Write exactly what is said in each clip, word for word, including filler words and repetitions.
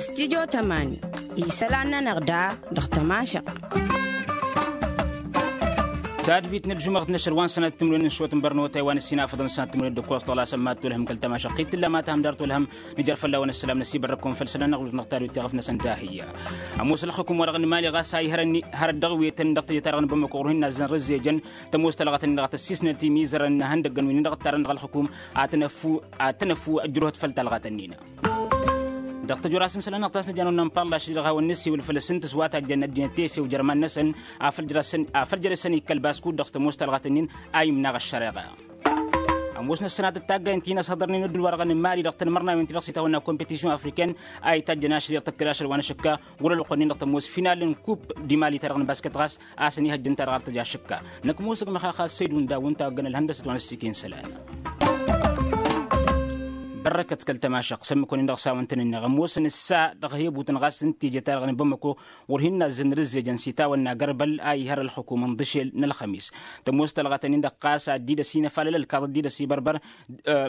Stidyo tămani isălan-nănăɣ da dăɣ-tămašăɣt. Tadbit n-ălžumăɣt n-ašăl wa n-sănat timǝrwen n-šot n-bărnotay wa n-ăssinafăḍăn sănat timǝrwen d-ǝkkoẓ tăɣlasăn mad-tolhăm kăl-tămašăɣt t-tǝlla ma tahăm dar tolhăm. Nǝjăr fălla-wen ăssălam n-ăsibărrăkun făll-isălan n-aɣlud n-aɣtadut tiɣǝf-năsăn dahǝyya. Ămoos ălxǝkum-wa-dăɣ n-imali ɣas a ihărănni hărăt dăɣ-wetăn dăɣ-teje-ta-dăɣ n-bamăko ɣur-hin-nazzăn rǝzzejăn. Tămoos talɣătăn-in-dăɣ a tăssisnăt imizărăn n-ihăndăggăn wi-nin-dăɣ ǝttarăn dăɣ-ălxǝkum ad-tăn-ăffu ad-tăn-ăffu ăjrǝhăt făll-talɣat-ǝnnin. Dăɣ-tăjora s-n-isălan-năɣ ta s-nǝja n-wănna n-palla ašli dăɣ-hawăn-nǝssiwǝl făll-asǝntǝs wa tajjăn ăddinăt efew jer-iman-năsăn. Afăl jer-e-săn ikkăl baskud dăɣ-s tămoos talɣat-ǝnnin a imnaɣ ăššăreɣa. Ămoosnăt sănatăt taggayen ti n-ăshăḍărnen ăddul-wa-dăɣ n-mali dăɣ-tanmărnawen ti-dăɣ s-itawănna competision afriken a itajjăn ašli dăɣ-tăkkăd ašăl wa n-ašǝkka ɣur-ălwăqq-nin-dăɣ tămoos final n-kup dimali-ta-dăɣ n-basket ɣas a-s ănihăjjăn-ta-dăɣ ar tăj ašǝkka. Năkk ămoosăg măxaxa săydun dawǝn ta ăgg-nălhăndăsăt wa n-ăssiken isălan. Bărrăkăt kăl-tămašăɣt s-ǝmmǝk-wăn-in-dăɣ s-a-wăn tăn-ǝnneɣ ămoosăn ǝssa dăɣ-hebutăn ɣas n-teje-ta-dăɣ n-bamăko ɣur-hin-nazzăn rǝzzejăn s-itawănna gărbăl a ihăr ălxǝkum n-dăšel n-ălxămis. Tămoos talɣătăn-in-dăɣ ɣas ad-dd-ăsinăfalăl ălkaḍ ad-dd-ăsibărbăr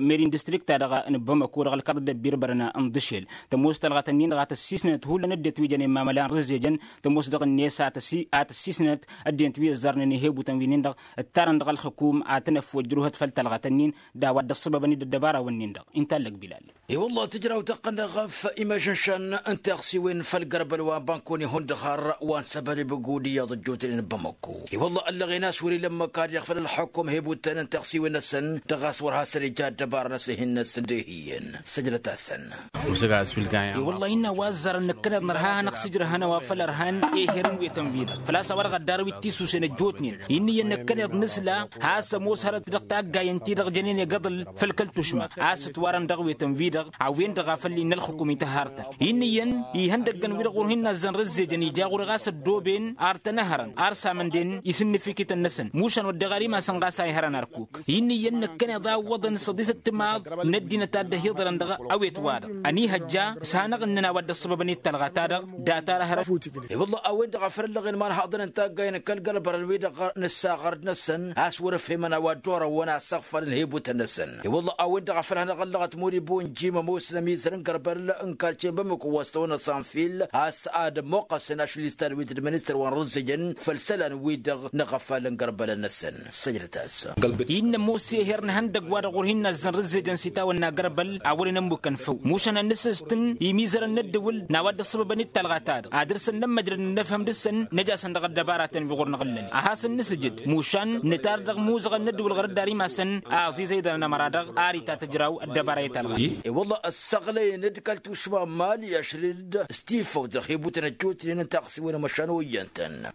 meri n-distrikt-ta-dăɣ n-bamăko dăɣ-ălkaḍ dd-ăbbirbărăn n-dăšel. Tămoos talɣătăn-in-dăɣ a tăssisnănăt hullan ăddinăt wi jănen mamăla n-rǝzzejăn. Tămoos dăɣ-net a tăssisnănăt ăddinăt wi ăzzarnen ihebutăn wi-nin-dăɣ ǝttarăn dăɣ-ălxǝkum ad-tăn-ăffu ăjrǝwhăt făll-talɣătăn-in d-a-wa dd-ăṣṣăbăbăn-dd ăddăbara-wǝnnin-dăɣ. Inta ăllăg bilal. I-wălla tǝjraw tăqqăn dăɣ-f imăžănšăn n-taɣsiwen făll-gărbăl wa n-bankoni hundăɣ har wa n-săbăleb gudǝyyaḍ ăjjootnen n-bamăkko. I-wălla ăllăɣen a-s wăr-ila ămmăk ad-iɣfăl ălxukum hebutăn n-taɣsiwen-năsăn dăɣ-a-s wăr hasăn-ija ăddăbara-năsăn hin-năsăn d-ehiyăn. Săjdăt-asăn. I-wălla innă a-wa ăzzarăn năkkăneḍ nărha a hanăɣ-sǝjrăhăn a-wa făl ărhan eher n-wetăn-wi-dăɣ făl-a-s a-wa dăɣ-ăddarăw-dd tisusen ăjjootnen. Inn'-iyyăn năkkăneḍ nǝsla has-ămoos hărăt dăɣ-taggayen-ti-dăɣ jănen egăḍǝl făll-kăl-tušma a-s ǝtwarăn dăɣ-wetăn-wi-dăɣ a-wen-dăɣ a făl innă ălxukum ităhhartăn. Inn'-iyyăn ihăndăggăn-wi-dăɣ wăr hin-nazzăn rǝzzejăn ija ɣur-e ɣas ăddooben ar tăn-ăhărăn ar samănden isǝnnǝfikităn-năsăn mušan wădden ɣar imasăn ɣas a ihărăn arkuk. Inn'-iyyăn năkkăneḍ a ǝwwăḍăn s-ăḍisăt timaḍ n-ăddinăt a dd-ăhiḍărăn dăɣ-awet-wa-dăɣ ănihăjja s-hanăɣ-ǝnnăn a-wa dd-ăṣṣăbăbăn i-talɣa-ta-dăɣ. Dat-arăhărăt. I-wălla a-wen-dăɣ a făl ăllăɣen imanhaḍăn n-taggayen kăl-gălbărăn-wi-dăɣ nǝssa ɣărd-năsăn a-s wăr-ăfhemăn a-wa dd-orăwăn a ăssăɣfălăn hebutăn-năsăn. I-wălla a-wen-dăɣ a făl hanăɣ-ăllăɣăt moribo n-jim ămoosnămizăr n-gărbăl n-karce n-bamăko wa s-tăwănna sanfil a-s ad-ămmoqqăsăn ašli s-tadwit d-ministăr wa n-rǝzzǝjăn făll-isălan-wi-dăɣ n-aɣăfal n-gărbălăn-năsăn. Săjdăt-as. Innă ămoos eher n-ihăndăgg-wa-dăɣ wăr hin-nazzăn rǝzzejăn s-itawănna gărbăl a wăren ămmukăn făw mušan ad-nǝsǝstǝn imizărăn n-ăddǝwǝl n-a-wa dd-ăṣṣăbăbăn i-talɣa-ta-dăɣ ad-dăr-săn n-ămmăjrăd n-inăfhăm dăr-săn. Năj'-asăn dăɣ-ăddăbara-ten-wi ɣur-năɣ ǝllăn ad-hasăn-nǝsǝjǝd mušan nǝtar dăɣ-imuzăɣăn n-ăddǝwǝl ɣur-dd ar imasăn a ăẓiẓăydănăn ămăra-dăɣ ar itatăjraw ăddăbara i-talɣa. I-wălla ăssaɣlăyăn-dd kăl-tušma n-mali ašăl-dd s-tifăw dăɣ-hibutăn ăjjootnen n-taɣsiwen ămăšan oyyăn-tăn.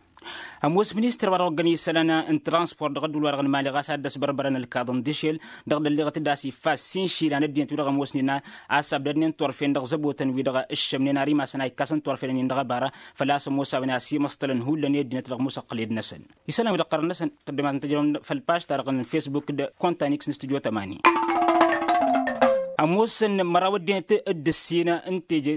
Ămoos ministăr wa dăɣ-oggăn isălan n-transport dăɣ-ăddul wa-dăɣ n-mali ɣas ad-dd-ăsbărbărăn ălkaḍăn d-ašel dăɣ-dălliɣăt-dd a-s iffas s-inšilan ăddinăt-wi-dăɣ ămoosnen a-s abdădnen turfen dăɣ-zăbotăn-wi-dăɣ ǝššămnen ar imasăn a ikkasăn turfen-nin dăɣ-ăbara. Făl-a-s ămoos a-wen a ăsimăṣṭălăn hullan i-ăddinăt dăɣ-musăqqǝled-năsăn isălan-wi-dăɣ ɣărăn-năsăn tăddămat n-tejrăwăm făll-paš-ta-dăɣ n-fesbuk d-kontanix n-studyo tămani. Ămoosăn măraw ăddinăt d-ǝssin n-teje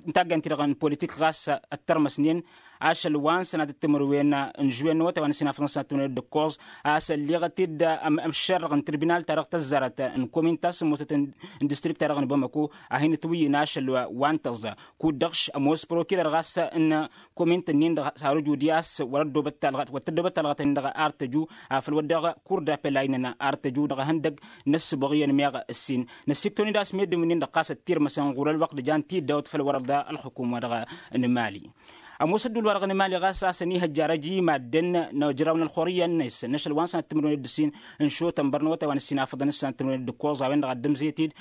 n-taggayen-ti-dăɣ n-politik ɣas ăttărmăsnen ašăl wa n-sănatăt timǝrwen n-žuwen n-awătay wa n-ăsinafăḍăn sănatăt timǝrwen d-ǝkkoẓ a-s ălleɣăt-dd ămšerrăɣ n-tirbinal-ta-dăɣ tăzzarăt n-komin ta s-ămoosăt n-distrikt-ta-dăɣ n-bamăko a hin-ǝtwǝyyǝn ašăl wa n-tăẓẓa kud-dăɣ š-ămoos prokirer ɣas n-komint-nin-dăɣ s-har ǝju di a-s wăr-ăddobăt talɣăt wăr tăddobăt talɣăt-nin-dăɣ ar tăju afăl wădden kur d-apel a innăn ar tăju dăɣ-ehăndăgg n-ăssǝboɣ iyyăn meɣ ǝssin năssiktăwăn-dd a-s meddǝn wi-nin-dăɣ ɣas ăttirmăsăn ɣur-ălwăqq d-jan tiddawt făll-wăr-dd ălxukum-wa-dăɣ n-mali. Ămoos ăddul-wa-dăɣ n-mali ɣas a-s ănihăjja ar ăj i-madden n-ajraw n-ălxurǝyya-net n-ašăl wa n-sănat timǝrwen d-ǝssin n-šotănbăr n-awătay wa n-ăssinafăḍăn s-sănat timǝrwen d-ǝkkoẓ a-wen-dăɣ ad-dd-ǝmzet-dd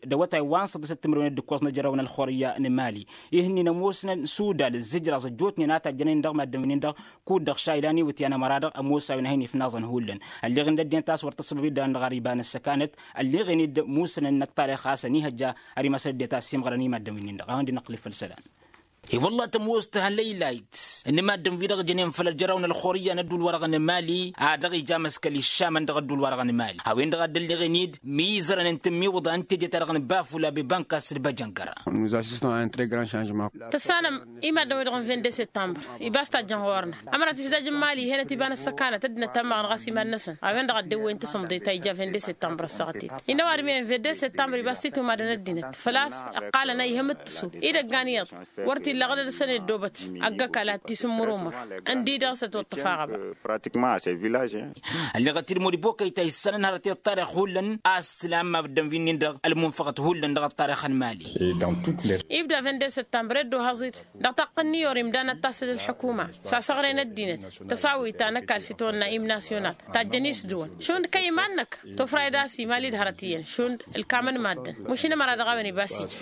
d-awătay wa n-săḍisăt timǝrwen d-ǝkkoẓ n-ajraw n-ălxurǝyya n-mali. Ih'-ǝnnin ămoosnăn sudal ǝzzǝjraẓ ăjjootnen a tajjănen dăɣ-madden wi-nin-dăɣ kud-dăɣ šaylan iwǝtyan ămăra-dăɣ ămoos a-wen a hin-ifnaẓăn hullan. Ălleɣen d-ăddinăt a-s wăr tăṣṣăbăb-dd a-wen-dăɣ ar iba n-ăssăkanăt ălleɣen-dd musnăn n-ăṭṭalix a-s ănihăjja ar imasăn ăddinăt a ăssiimɣărăn i-madden wi-nin-dăɣ a hawăn-dd-inăqqǝl i-făll-isălan. I-wălla tămoos tǝha lăylayt n-imaddǝn-wi-dăɣ jănen făll-ălžăraw n-ălxurǝyya n-ădduul-wa-dăɣ n-mali a dăɣ-ija măskăl iššamăn dăɣ-ădduul-wa-dăɣ n-mali a-wen-dăɣ a dd-ălleɣen-dd mizărăn n-tǝmmiwǝḍa n-teje-ta-dăɣ n-bafula bebankas d-băjăngăra. Tăssanăm imaddǝn-wi-dăɣ n-vinde săttămbăr ibas tajjăn ɣur-năɣ ămăra tisdaj n-mali henăt ibanăt săkanăt ăddinăt tămmăɣăn ɣas iman-năsăn a-wen-dăɣ a dd-ewwen tasǝmḍe ta ija vinde săttămbăr ăssaɣăt-in innă ăwadǝm iyyăn vinde săttămbăr ibas titǝwmadăn ăddinăt făl-a-s ǝqqalăn a ihăm d-tǝsu idăggan iyyăḍ wăr t-illa ɣǝdăd-săn i-ăddoobăt ăgg-ăkall ad-t-isǝmmǝr umăr ǝndi dăɣ-s ătoṭṭăf aɣăba. Ălleɣăt-dd modibokăy ta issănăn hărăt i-ăṭṭarix hullan a-s tǝlamma ăddănvi-nin-dăɣ ălmunfăɣăt hullan dăɣ-ăṭṭarix n-mali. Ibda vinde săttămbăr eddo haẓ-dd dăɣ-taqqǝn n-iyor imdan ad-tasǝl ălḥukuma s-asăɣre n-ăddinăt tăsawit ta n-ăkall s-itwănna imnasyonal tajjăn isdǝwăn šund kăy-iman-năk tofrayăd a-s imali d-hărăt iyyăn šund ǝlkamăn maddǝn. Mušin ămăra dăɣ-a-wen ibas ija.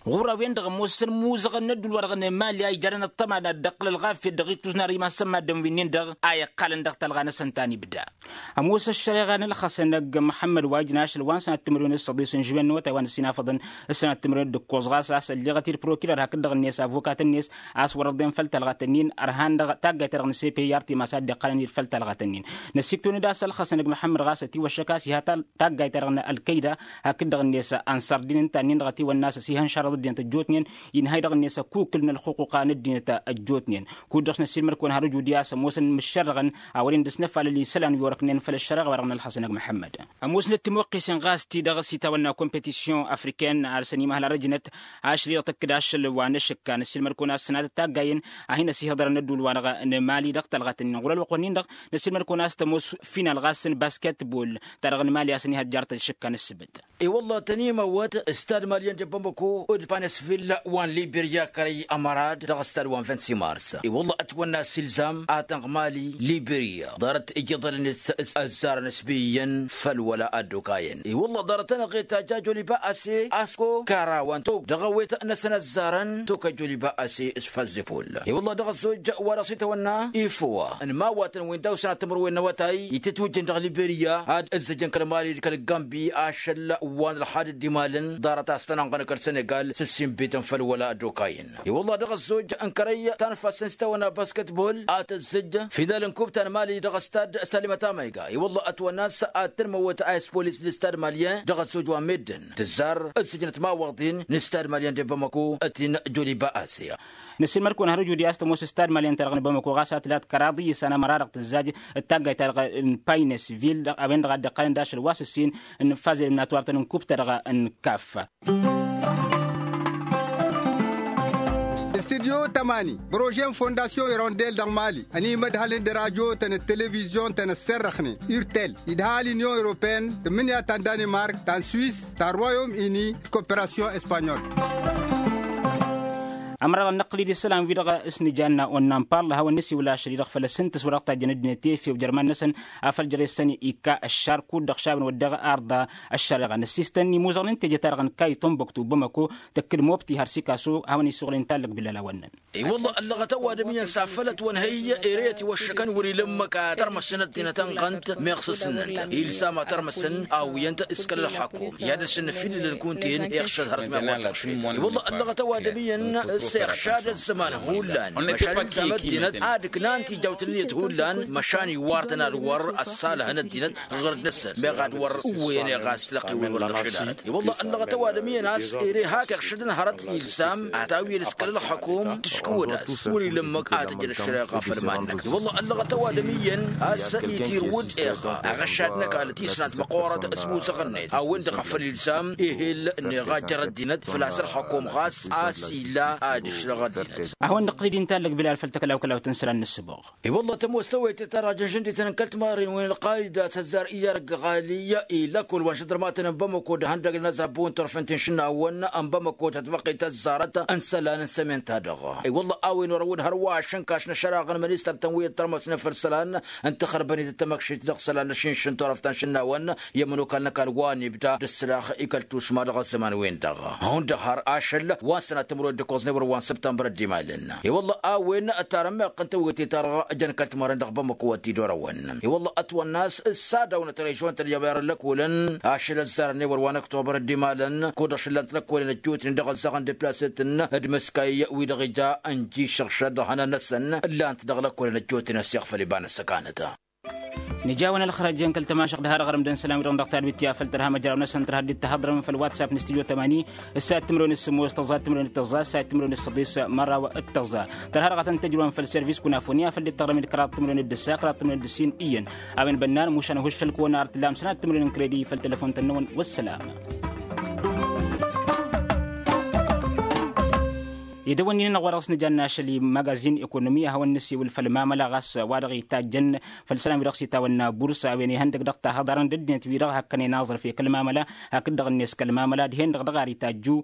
Ɣur-a-wen-dăɣ ămoosăn imuzăɣăn n-ădduul-wa-dăɣ n-emali a ijarăn ăṭṭăma n-ad-dd-iqqǝl ălɣafyăt dăɣ-ittus n-arǝy iman-săn maddǝn wi-nin-dăɣ a iqqalăn dăɣ-talɣa-năsăn ta n-ibda. Ămoos ăššăreɣa n-ălxăsăn ăgg măḥămmăd wa ijnašăl wa n-sănat timǝrwen d-săḍis n-žuwen n-awătay wa n-ăsinafăḍăn s-sănat timǝrwen d-ǝkkoẓ ɣas a-s ălleɣăt-dd prokirăr hakd-dăɣ-net avokat-net a-s wăr-ăḍḍen făll-talɣat-nin ărhan dăɣ-taggayt-ta-dăɣ n-sepe i-ar timas a dd-iqqălăn-dd făll-talɣat-nin. Năsiktăwăn-dd a-s ălxăsăn ăgg măḥămmăd ɣas ătiwăššăk a-s iha taggayt-ta-dăɣ n-ălkăyda hakd-dăɣ-net ănṣăr d-in ǝnta-nin-dăɣ ătiwănna a-s ăsihăn šarăḍ ăddinăt ăjjootnen inhăy dăɣ-net ăkukǝl n-ălxuquqa n-ăddinăt ăjjootnen. Kud-dăɣ s-năssiilmăd-kăwăn har ǝjud i-a-s ămoosăn mǝššărrăɣăn a wărăn dăr-s năfalăl isălan wi orăknen făll-ăššăreɣa-wa-dăɣ n-ălxăsăn ăgg măḥămmăd. Ămoosnăt timwăqqisen ɣas ti-dăɣ s-itawănna competisyun afriken alsăn imăhăl arăjnăt ašăl-i-dăɣ tăkk-dd ašăl wa n-ašǝkka năssiilmăd-kăwăn a-s sănatăt taggayen a hin-ăsihăḍărăn n-ădduul-wa-dăɣ n-emali dăɣ-talɣat-nin ɣur-ălwăqq-nin-dăɣ. Năssiilmăd-kăwăn a-s tămoos final ɣas n-basketbol ta dăɣ-n emali a-s ăniha ăjjarăt ăššǝkka n-ăssǝbǝt. I-wălla tănimăwwăt stad malyan de bamako d-panesvil wa n-liberya kărăy ămărad dăɣ-stad wa n-vint-simars. I-wălla ătwănna s-ilzam a tănɣ mali liberya ḍarăt ijǝḍălăn s-ăzzarăn s-biyyăn făll-wăla ăddokayăn i-wălla ḍarăt-tăn ăɣeta jajoliba ase asko kara wa n-tok dăɣ-awet-năsăn ăzzarăn tok ăjoliba ase s-făzzepol. I-wălla dăɣ-ăzzoj wa dăɣ-s itawănna ifwa n-imawwatăn wi n-dawsăn ad-tǝmrǝwen n-awătay itǝtwǝjjăn dăɣ-liberya ad-ǝzzǝjăn kăl-mali d-kăl-gambi ašăl wa n-ălxad dd-imalăn ḍarăt a-s tăn-ănɣăn kăl-senegal s-ǝssinbităn făll-wăla ăddokayăn. I-wălla dăɣ-ăzzoj n-kărăy ta n-ifassăn s-itawănna basketbol ad-tăzzǝj final n-kub ta n-mali dăɣ-stad salimăt amayga i-wălla ătwănna a-s ad-tǝnmăwwăt a ispolis d-stad malyen dăɣ-ăzzoj wa n-meddǝn tǝzzar ǝzzǝjnăt imawwăḍin n-stad malyen de bamako. Ătin joliba asia. Năssiilmăd-kăwăn har ǝjud i-a-s tămoos stad malyen-ta-dăɣ n-bamako ɣas a tǝlat kăraḍ iyyǝsan ămăra-dăɣ tǝzzaj d-taggayt-ta-dăɣ n-paynesvil a-wen-dăɣ a dd-iqqălăn d-ašăl wa s-ǝssin n-fazed n-natwar-tăn n-kub-ta-dăɣ n-kaf. Studyo tămani bărože n-fondasyon irondel dăɣ-mali ănimădhălăn d-rajo-tăn d-televizyon-tăn ăsserrăxnen urtel idhal inyon europene tǝmmǝnǝya ta n-danimark ta n-swis ta n-royom ini d-koperasyon espanyol. Ămăra-dăɣ năqqǝl-dd isălan-wi-dăɣ s-nǝjanna onnan pall a hawăn-nǝsiwǝl ašăl-i-dăɣ făll-asǝntǝs wa dăɣ-tajjăn ăddinăt efew jer-iman-năsăn afăl jere-săn ikka ăššar kud-dăɣ šabăn wădden arḍa. Ăššăreɣa n-ăssistăn imuzăɣăn n-teje-ta-dăɣ n-kayton băktu bamăko tăkk-dd mobti har sikaso a hawăn-isuɣǝl inta ǝllăg bilal a wănnăn. I-wălla ăllăɣăt ăwadǝm iyyăn s-afăl ătwănhăy ere ătiwăššăkăn wăr-ila ǝmmǝk ad-tărmăsăn ăddinăt ănɣănt meɣ s-ǝsnǝnt ilsam ad-tărmăsăn awǝyăn-t s-kăl-ălxăkum i-ad-dăr-săn năfidǝlăn kunta-en iɣšăd hărăt meɣ wa tăɣšed. I-wălla ăllăɣăt ăwadǝm iyyăn s-iɣšad ăzzăman hullan măšan ilsam ăddinăt ad-ǝknan tijawt n-ǝnniyăt hullan măšan iwar-tăn ad-wăr ăssalăhăn ăddinăt ɣur-năsăn meɣ ad-wăr ǝwwăyăn eɣas lăqq i-wăr-wăr-năɣšăd arăt. I-wălla ăllăɣăt ăwadǝm iyyăn a-s ere hak iɣšădăn hărăt ilsam ad-tawǝyăn s-kăl-ălxăkum tǝškǝwăd a-s wăr-ila ǝmmǝk ad-tǝjjăd ăššăreɣa făll-iman-năk. I-wălla ăllăɣăt ăwadǝm iyyăn a-s itirwǝd eɣa aɣăššad n-ăkall tisnat măqqoorăt s-musăɣ-net a-wen-dăɣ a făl ilsam ehel n-eɣa jer-ăddinăt făl-a-s ălxăkum ɣas a-s ila ad-ǝšrăɣ ăddinăt. A hawăn-năqqǝl-dd inta ǝllăg bilal făll-tăkălawkălawt n-isălan n-ǝssǝboɣ. I-wălla tămoos tawăytet ta dăɣ-jănžăndităn n-kăl-timarren wen ălqayda s-ăzzar iyyăr ăgg-ɣali i-lăkkol wa n-šădrămatăn n-bamăko d-ihăndăgg n-azabu n-turfent n-išǝnnawăn n-bamăko ta tǝbăqqet ăzzarăt n-isălan n-sămen-ta-dăɣ. I-wălla a-wen orăwăd hărwa ašǝnkaš n-ašăraɣ n-ministăr-tăn wi ăttărmăsnen făll-isălan n-tăxărbănit d-tamăkšit dăɣ-isălan n-ašǝnš n-turăft ta n-išǝnnawăn i-ămănokal n-ăkall wa n-ibda d-ǝssǝlax i-kăl-tušma dăɣ-ăzzăman-wen-dăɣ. Hundăɣ har ašăl wa n-sănat timǝrwen d-ǝkkoẓ n-ewăr. wa n-săbtămbăr ăddimalăn. I-wălla a-wen tarămmeɣ n-tewăte-ta-dăɣ jăn kăl-timărăn dăɣ-bamăko wa t-dd-orăwăn. I-wălla ătwănna a-s ăssadăw n-ătrăyžon tăljaw i-arăllăkolăn ašăl ăzzarăn i-wăr wa n-ăktobăr ăddimalăn kud-dăɣ šǝllan-t lăkkolăn ăjjootnen dăɣ-ăzzaɣăn deplasăt n-dd-mǝskay wi-dăɣ ija n-jišăɣšăd hănan-năsăn ǝllan-t dăɣ-lăkkolăn ăjjootnen ăssiɣ făll-iba n-ăssăkanăt. Nǝjawăn ălxărăj-en kăl-tămašăɣt d-ha-dăɣ ărmǝdăn isălan-wi-dăɣ n-dăɣ tadbit i-afăl tărha măjraw-năsăn tărha dd-tahăḍrăm făll-whatsapp n-stujo tămani. Ǝssa timǝrwen d-sǝmmos tăẓẓa timǝrwen d-tăẓẓa ǝssa timǝrwen d-săḍis măraw d-tăẓẓa. Tărha dăɣ-tăn-tăjrăwăn făll-servis kunafoni afăl dd-tărrăm d-kăraḍ timǝrwen d-ǝssa kăraḍ timǝrwen d-ǝssin iyyăn. A-wen bănnan mušan ăhuššăl kăwăn-arăt ǝllam sănat timǝrwen n-kredi făll-telăfon-tăn-năwăn. Wăssălam. Edăwănnin-năɣ wa dăɣ-s nǝjanna ašăl i-magazin ekonomi a hawăn-nǝsewǝl făll-mamăla ɣas wa dăɣ-itajjăn făll-isălan wi dăɣ-s itawănna burs a-wen ihăndăg dăɣ-tahăḍarăn d-ăddinăt wi dăɣ-hakkănen aẓrǝf i-kăl-mamăla hakd-dăɣ-net kăl-mamăla dihen-dăɣ dăɣ-ar itajju.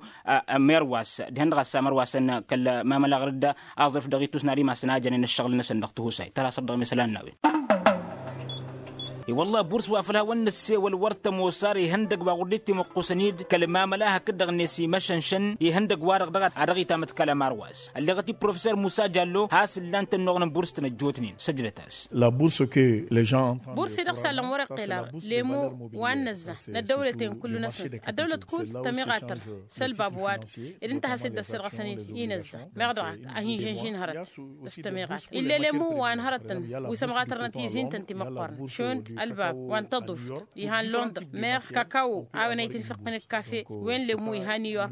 Merwas dihen-dăɣ a-s amărwasăn kăl-mamăla ɣăr-dd aẓrǝf dăɣ-itus n-ar imasăn a jănen ǝššăɣǝl-năsăn dăɣ-tihusay tăra săr-dăɣ mesălan n-a-wen. I-wălla burs wa făl hawăn-nǝssewăl wăr tămoos ar ihăndăg wa ɣur-dd-timǝqqusăn-dd kăl-mamăla hakd-dăɣ-net imăšănšăn ihăndăg-wa-dăɣ dăɣ-a dăɣ-itamǝtkal ămarwaz. Ălleɣăt-dd professor musa jallo has-ǝllan-tăn-noɣnăm burs tănăjjootnen săjdăt-as. Burs-i dăɣ-s allăn wăr-iqqel ara lemu wa n-năzza n-ăddăwlăten kullu-năsăn ăddăwlăt kull tămiɣatăr s-ălbab wa-dăɣ ed ǝnta a has-dd-ăssirɣăsăn inăzza meɣ dăɣ-ak a hin-žănžin hărăt s-tămiɣat ill'-e lemu wa n-hărătăn wi s-ămɣatărnăt izin-tăn timăqqorăn šund ălbab wa n-tăḍuft ihan londăr meɣ kakawo a-wen a itǝnfǝqqǝn ǝkkafe wen lemu ihan new york.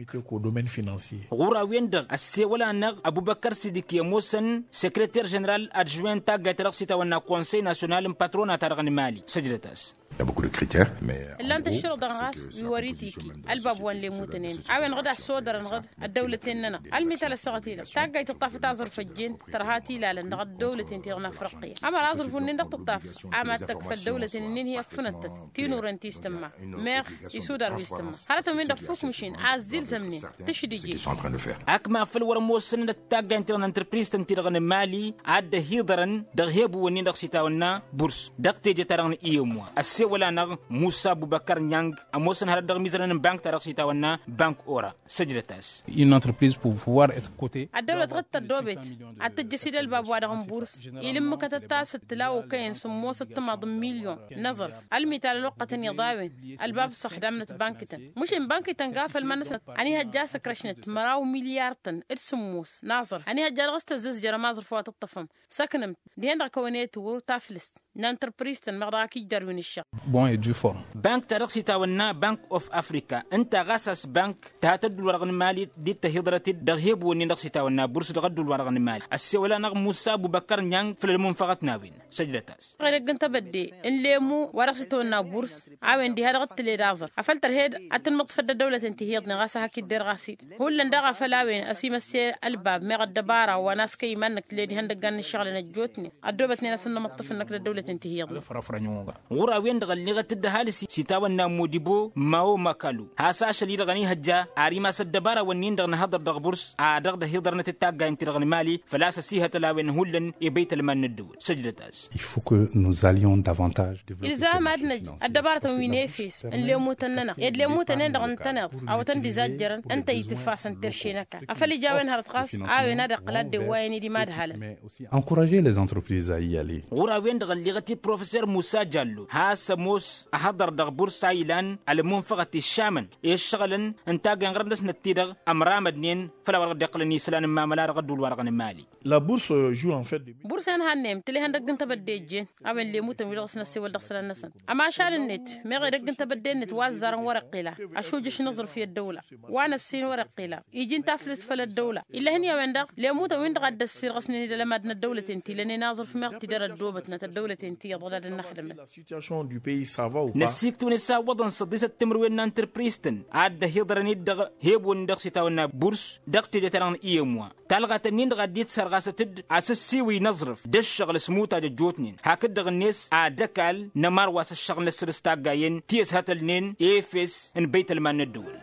Ɣur-a-wen-dăɣ ăssewăl-anăɣ ăbubăkkăr sidiki ămoosăn sekreter ženeral adžuwen taggayt ta dăɣ-s itawănna konsey nasyonal n-patrona-ta-dăɣ n-mali săjdăt-as. Ǝllan-t ăššărǝḍăn ɣas wi wăr-itiki ălbab wa n-lemutăn-en a-wen-dăɣ d-assodărăn-dăɣ d-ăddăwlăten-nănăɣ ălmital ăssaɣăt-i-dăɣ taggayt tǝṭṭaf taẓrǝf ăjjeen tărha tilalăn dăɣ-ăddăwlăten-ti-dăɣ n-afriqya ămăra aẓrǝf-wǝnnin-dăɣ tǝṭṭaf a mad-tăkk făll-dăwlăten-ǝnnin hi-ăffǝnăntăt tinuren ti s-tǝmma meɣ isudar wi s-tǝmma hărătăn-win-dăɣ fukk măšin a ăzzilzămnen tǝšdǝje. Akma făl wăr-ămoosăn d-taggayt-ti-dăɣ n-antrăpriz-tăn-ti-dăɣ n-mali a dd-ăhiḍărăn dăɣ-ihebǝwăn-nin-dăɣ s-itawănna burs dăɣ-teje-ta-dăɣ n-iyǝmwa ăssewăl-anăɣ musa bubăkkăr nyang ămoosăn hărăt dăɣ-imizărăn n-bank-ta-dăɣ s-itawănna bank ora. Săjdăt-as. Ăddăwlăt ɣǝd tăddobet ad-tǝjjăs-dd ălbab-wa-dăɣ n-burs ilǝmmǝkătăt-as d-tǝla okăyăn sǝmmosăt timaḍ n-milyon n-aẓrǝf ălmital ălwăqqătăn iḍa a-wen ălbab s-ăxdamnăt bankităn măšin bankităn ga făll-iman-năsnăt ănihăjja a-s ǝkrăšnăt măraw milyar-tăn d-sǝmmos n-aẓrǝf ănihăjja dăɣ-s tăzzăzjărăm aẓrǝf wa tǝṭṭăfăm săknăm dihen-dăɣ kăwăn-e tǝwwǝr taflǝst n-antrăpriz-tăn meɣ dăɣ-ak ijjar wi n-ǝššăɣ. Bank-ta-dăɣ s-itawănna bank of africa ǝnta ɣas a-s bank tăha tăddul-wa-dăɣ n-mali d-dd-tăhiḍărăt-dd dăɣ-ihebǝwăn-nin-dăɣ s-itawănna burs dăɣ-ăddul-wa-dăɣ n-mali ăssewăl-anăɣ musa bubăkkăr nyang făll-ălmunfăɣăt n-a-wen. Săjdăt-as. Edăgg n-tebădde n-lemu wa dăɣ-s itawănna burs a-wen diha dăɣ-t tǝled aẓăr afăl tărhed ad-tǝnmǝḍfăd d-ăddăwlăten ti hi-iyyăḍnen ɣas ad-hak-idder ɣas-dd hullan daɣ afăl a-wen ăsimăsse ălbab meɣ ăddăbara wa n-askăy iman-năk tǝled ihăndăggan n-ǝššăɣǝlăn ăjjootnen ăddoobătnen a-s ǝnnămăṭṭăf-năk d-ăddăwlăten ti hi-iyyăḍnen. Ɣur-a-wen-dăɣ ălleɣăt-dd ăhalǝs s-itawănna modibo mawo makalu has-ašăl-i-dăɣ ănihăjja ar imas ăddăbara-wǝnnin-dăɣ nǝhăḍăr dăɣ-burs a dăɣ-dd-ăhiḍărnăt d-taggayăn-ti-dăɣ n-mali făl-a-s ăsihătăl a-wen hullan i-băytălman n-ăddăwăl. Săjdăt-as. Il faut que nous allions davantage. Ilzam ad-năj ăddăbarătăn wi n-efes n-lemutăn-nănăɣ ed lemutăn-en-dăɣ ǝntăneḍ awătăn d-izajjărăn ǝnta itǝffasăn terše n-ăkall afăl ija a-wen hărăt ɣas a-wen ad-iqqǝl ad-dd-ewwayăn i-dimadhalăn. Encourager les entreprises à y aller. Ɣur-a-wen-dăɣ ălleɣăt-dd professor musa jallo has-ămoos ăhăḍăr dăɣ-burs a ilan ălmunfăɣăt iššamăn i-ǝššăɣǝlăn n-tagga n-iɣrǝm-năsnăt-ti-dăɣ ămramădnen făll-a-wa dăɣ-dd-iqqǝlăn isălan n-mamăla dăɣ-ădduul-wa-dăɣ n-mali. Burs-en hannăyăm tǝla ihăndăgg n-tebădde ijjen a-wen lemutăn wi dăɣ-s năssewăl dăɣ-isălan-năsăn ămašal-net meɣ edăgg n-tebădde-net wa ăzzarăn wăr-iqqila ăšujǝš n-aẓrǝf i-ăddăwla wa n-ăssin wăr-iqqila iji n-taflǝst făll-ăddăwla ill'-e-hăn i-a-wen-dăɣ lemutăn-win-dăɣ a dd-ăssirɣăsnen-dd ălămad n-ăddăwlăten ti lănen aẓrǝf meɣ tidăr ăddoobătnăt ăddăwlăten ti iyyăḍ dăɣ-ad-dd-năxdǝmăn. Năsiiktǝwăn isawwăḍăn săḍisăt timǝrwen n-antrăpriz-tăn a dd-ăhiḍărăn-dd dăɣ-hebǝwăn-nin-dăɣ s-itawănna burs dăɣ-teje-ta-dăɣ n-iyem wa talɣat-nin-dăɣ a dd-itsărɣasăt-dd asǝssiwǝy n-aẓrǝf d-ǝššăɣǝl s-imutaj ăjjootnen hakd-dăɣ-net ad-ăkall n-ămarwas ǝššăɣǝl n-ăssăr s-taggayen ti ăshătălnen efes n-băytălman n-ăddăwăl.